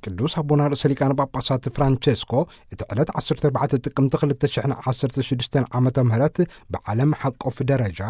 ቅዱስ ኣቦና ርእሰ ሊቃነ ጳጳሳት ፍራንቸስኮ እቲ ዕለት ዓሰርተ ኣርባዕተ ጥቅምቲ ክልተ ሽሕን ዓሰርተ ሽዱሽተን ዓመተ ምህረት ብዓለም ሓቆፍ ደረጃ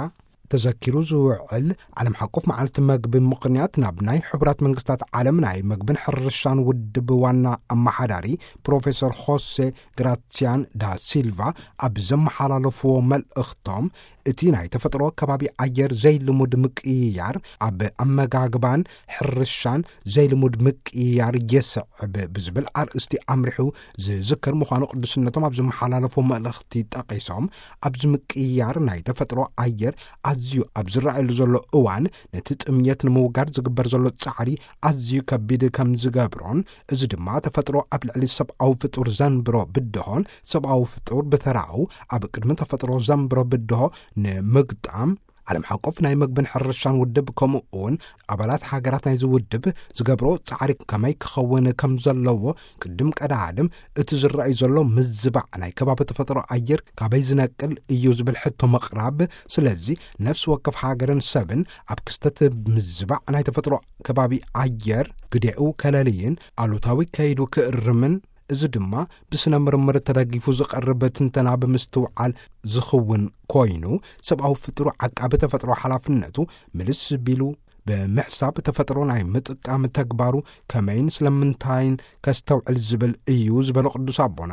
ተዘኪሩ ዝውዕል ዓለም ሓቆፍ መዓልቲ መግቢ ምኽንያት፣ ናብ ናይ ሕቡራት መንግስታት ዓለም ናይ መግብን ሕርሻን ውድብ ዋና ኣመሓዳሪ ፕሮፌሰር ሆሴ ግራሲያን ዳ ሲልቫ ኣብ ዘመሓላለፍዎ መልእኽቶም፣ እቲ ናይ ተፈጥሮ ከባቢ ኣየር ዘይልሙድ ምቅይያር ኣብ ኣመጋግባን ሕርሻን ዘይልሙድ ምቅይያር የስዕብ ብዝብል ኣርእስቲ ኣምሪሑ ዝዝከር ምዃኑ ቅዱስነቶም ኣብ ዝመሓላለፎ መልእኽቲ ጠቒሶም፣ ኣብዚ ምቅይያር ናይ ተፈጥሮ ኣየር ኣዝዩ ኣብ ዝረኣየሉ ዘሎ እዋን፣ ነቲ ጥምየት ንምውጋድ ዝግበር ዘሎ ጻዕሪ ኣዝዩ ከቢድ ከም ዝገብሮን፣ እዚ ድማ ተፈጥሮ ኣብ ልዕሊ ሰብኣዊ ፍጡር ዘንብሮ ብድሆን ሰብኣዊ ፍጡር ብተራኡ ኣብ ቅድሚ ተፈጥሮ ዘንብሮ ብድሆ ንምግጣም፣ ዓለም ሓቆፍ ናይ መግብን ሕርሻን ውድብ፣ ከምኡ እውን ኣባላት ሃገራት ናይዚ ውድብ ዝገብሮ ጻዕሪ ከመይ ክኸውን ከም ዘለዎ፣ ቅድም ቀዳድም እቲ ዝረኣይ ዘሎ ምዝባዕ ናይ ከባቢ ተፈጥሮ ኣየር ካበይ ዝነቅል እዩ ዝብል ሕቶ ምቕራብ። ስለዚ ነፍሲ ወከፍ ሃገርን ሰብን ኣብ ክስተት ምዝባዕ ናይ ተፈጥሮ ከባቢ ኣየር ግዴኡ ከለልይን ኣሉታዊ ከይዱ ክእርምን፣ እዚ ድማ ብስነ ምርምር ተደጊፉ ዝቐርብ ትንተና ብምስትውዓል ዝኽውን ኮይኑ፣ ሰብኣዊ ፍጡር ዓቃቢ ተፈጥሮ ሓላፍነቱ ምልስ ቢሉ ብምሕሳብ፣ ተፈጥሮ ናይ ምጥቃም ተግባሩ ከመይን ስለምንታይን ከስተውዕል ዝብል እዩ ዝበሎ ቅዱስ ኣቦና፣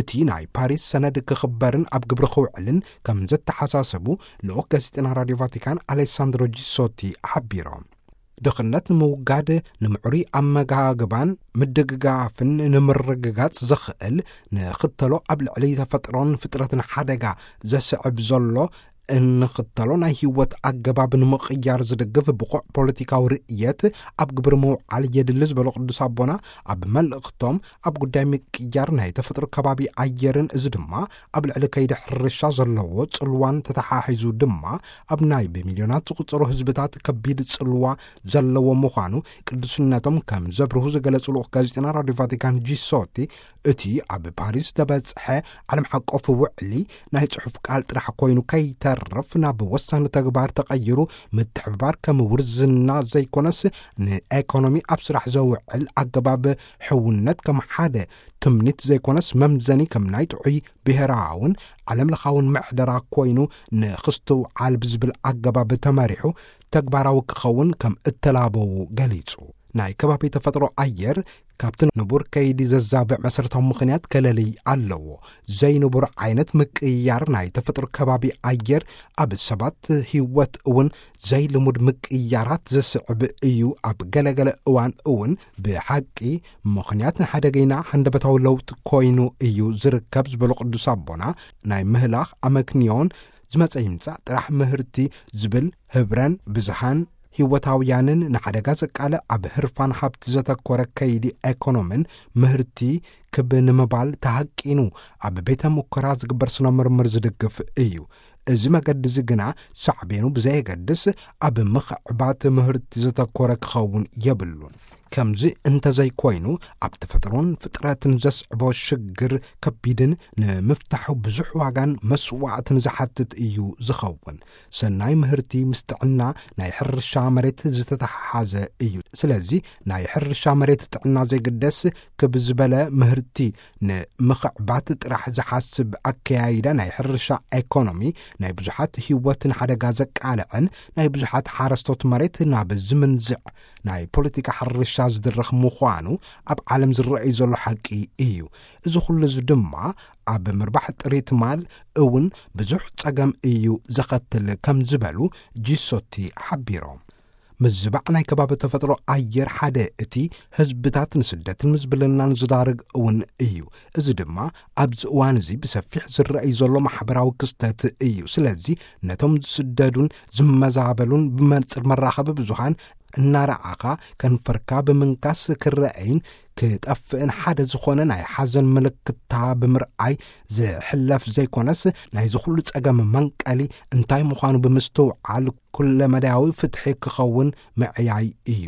እቲ ናይ ፓሪስ ሰነድ ክኽበርን ኣብ ግብሪ ክውዕልን ከም ዘተሓሳሰቡ ልኡኽ ጋዜጠና ራድዮ ቫቲካን ኣሌሳንድሮ ጂሶቲ ሓቢሮም። ድኽነት ንምውጋድ፣ ንምዕሩይ ኣመጋግባን ምድግጋፍን ንምርግጋጽ ዘኽእል፣ ንኽተሎ ኣብ ልዕሊ ተፈጥሮን ፍጥረትን ሓደጋ ዘስዕብ ዘሎ እንኽተሎ ናይ ህይወት ኣገባብ ንምቕያር ዝድግፍ ብቑዕ ፖለቲካዊ ርእየት ኣብ ግብሪ ምውዓል የድሊ ዝበሎ ቅዱስ ኣቦና፣ ኣብ መልእኽቶም፣ ኣብ ጉዳይ ምቅያር ናይ ተፈጥሮ ከባቢ ኣየርን፣ እዚ ድማ ኣብ ልዕሊ ከይዲ ሕርሻ ዘለዎ ጽልዋን ተተሓሒዙ ድማ ኣብ ናይ ብሚልዮናት ዝቑጸሩ ህዝብታት ከቢድ ጽልዋ ዘለዎ ምዃኑ ቅዱስነቶም ከም ዘብርሁ ዝገለጹ ልኡኽ ጋዜጠና ራድዮ ቫቲካን ጂሶቲ፣ እቲ ኣብ ፓሪስ ተበጽሐ ዓለም ሓቆፍ ውዕሊ ናይ ጽሑፍ ቃል ጥራሕ ኮይኑ ከይተርፍ፣ ናብ ወሳኒ ተግባር ተቐይሩ፣ ምትሕብባር ከም ውርዝና ዘይኮነስ፣ ንኤኮኖሚ ኣብ ስራሕ ዘውዕል ኣገባብ ሕውነት ከም ሓደ ትምኒት ዘይኮነስ፣ መምዘኒ ከም ናይ ጥዑይ ብሔራውን ዓለም ለኻውን ምሕደራ ኮይኑ ንኽስትውዓል ብዝብል ኣገባብ ተመሪሑ ተግባራዊ ክኸውን ከም እተላበዉ ገሊጹ። ናይ ከባቢ ተፈጥሮ ኣየር ካብቲ ንቡር ከይዲ ዘዛብዕ መሰረታዊ ምኽንያት ከለልይ ኣለዎ። ዘይንቡር ዓይነት ምቅይያር ናይ ተፈጥሮ ከባቢ ኣየር ኣብ ሰባት ህይወት እውን ዘይልሙድ ምቅይያራት ዘስዕብ እዩ። ኣብ ገለገለ እዋን እውን ብሓቂ ምኽንያት ንሓደገይና ሃንደበታዊ ለውጢ ኮይኑ እዩ ዝርከብ ዝበሉ ቅዱስ ኣቦና፣ ናይ ምህላኽ ኣመክንዮን ዝመጸ ይምጻእ ጥራሕ ምህርቲ ዝብል ህብረን ብዝሃን ህይወታውያንን ንሓደጋ ዘቃልዕ ኣብ ህርፋን ሃብቲ ዘተኮረ ከይዲ ኤኮኖምን ምህርቲ ክብ ንምባል ተሃቂኑ ኣብ ቤተ ሙከራ ዝግበር ስነ ምርምር ዝድግፍ እዩ። እዚ መገዲ እዚ ግና ሳዕቤኑ ብዘየገድስ ኣብ ምኽዕባት ምህርቲ ዘተኮረ ክኸውን የብሉን። ከምዚ እንተዘይኮይኑ፣ ኣብ ተፈጥሮን ፍጥረትን ዘስዕቦ ሽግር ከቢድን ንምፍታሑ ብዙሕ ዋጋን መስዋዕትን ዝሓትት እዩ ዝኸውን። ሰናይ ምህርቲ ምስ ጥዕና ናይ ሕርሻ መሬት ዝተተሓሓዘ እዩ። ስለዚ ናይ ሕርሻ መሬት ጥዕና ዘይግደስ፣ ክብ ዝበለ ምህርቲ ንምኽዕባት ጥራሕ ዝሓስብ ኣከያይዳ ናይ ሕርሻ ኤኮኖሚ፣ ናይ ብዙሓት ህይወት ንሓደጋ ዘቃልዕን ናይ ብዙሓት ሓረስቶት መሬት ናብ ዝምንዝዕ ናይ ፖለቲካ ሕርሻ ዝድርኽ ምዃኑ ኣብ ዓለም ዝረኣይ ዘሎ ሓቂ እዩ። እዚ ኩሉ እዚ ድማ ኣብ ምርባሕ ጥሪት ማል እውን ብዙሕ ጸገም እዩ ዘኸትል ከም ዝበሉ ጂሶቲ ሓቢሮም። ምዝባዕ ናይ ከባቢ ተፈጥሮ ኣየር ሓደ እቲ ህዝብታት ንስደትን ምዝብልናን ዝዳርግ እውን እዩ። እዚ ድማ ኣብዚ እዋን እዚ ብሰፊሕ ዝረኣይ ዘሎ ማሕበራዊ ክስተት እዩ። ስለዚ ነቶም ዝስደዱን ዝመዛበሉን ብመንጽር መራኸቢ ብዙሃን እናረኣኻ ከንፈርካ ብምንካስ ክረኣይን ክጠፍእን ሓደ ዝኾነ ናይ ሓዘን ምልክታ ብምርኣይ ዝሕለፍ ዘይኮነስ፣ ናይዚ ኩሉ ጸገም መንቀሊ እንታይ ምዃኑ ብምስትውዓል ኩለመዳያዊ ፍትሒ ክኸውን ምዕያይ እዩ።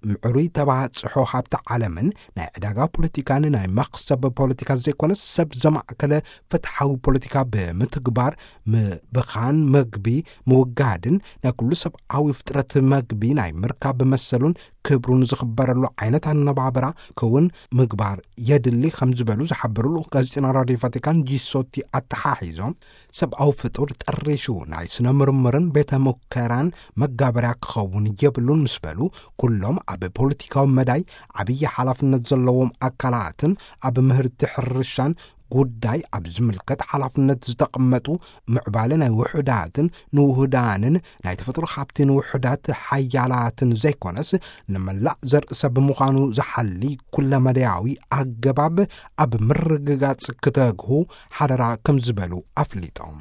ምዕሩይ ተባጽሖ ሃብቲ ዓለምን ናይ ዕዳጋ ፖለቲካን ናይ መኽሰብ ፖለቲካ ዘይኮነስ፣ ሰብ ዘማእከለ ፍትሓዊ ፖለቲካ ብምትግባር፣ ምብኻን መግቢ ምውጋድን ናይ ኩሉ ሰብኣዊ ፍጥረት መግቢ ናይ ምርካብ መሰሉን ክብሩን ዝኽበረሉ ዓይነት ኣነባብራ ክውን ምግባር የድሊ ከም ዝበሉ ዝሓበሩ ልኡኽ ጋዜጠና ራድዮ ቫቲካን ጂሶቲ ኣተሓሒዞም፣ ሰብኣዊ ፍጡር ጠሪሹ ናይ ስነ ምርምርን ቤተ ሙከራን መጋበርያ ክኸውን የብሉን ምስ በሉ፣ ኩሎም ኣብ ፖለቲካዊ መዳይ ዓብዪ ሓላፍነት ዘለዎም ኣካላትን ኣብ ምህርቲ ሕርሻን ጉዳይ ኣብ ዝምልከት ሓላፍነት ዝተቐመጡ ምዕባለ ናይ ውሑዳትን ንውሁዳንን ናይ ተፈጥሮ ሃብቲ ንውሑዳት ሓያላትን ዘይኮነስ ንመላእ ዘርእሰብ ብምዃኑ ዝሓሊ ኩለመዳያዊ ኣገባብ ኣብ ምርግጋጽ ክተግሁ ሓደራ ከም ዝበሉ ኣፍሊጦም።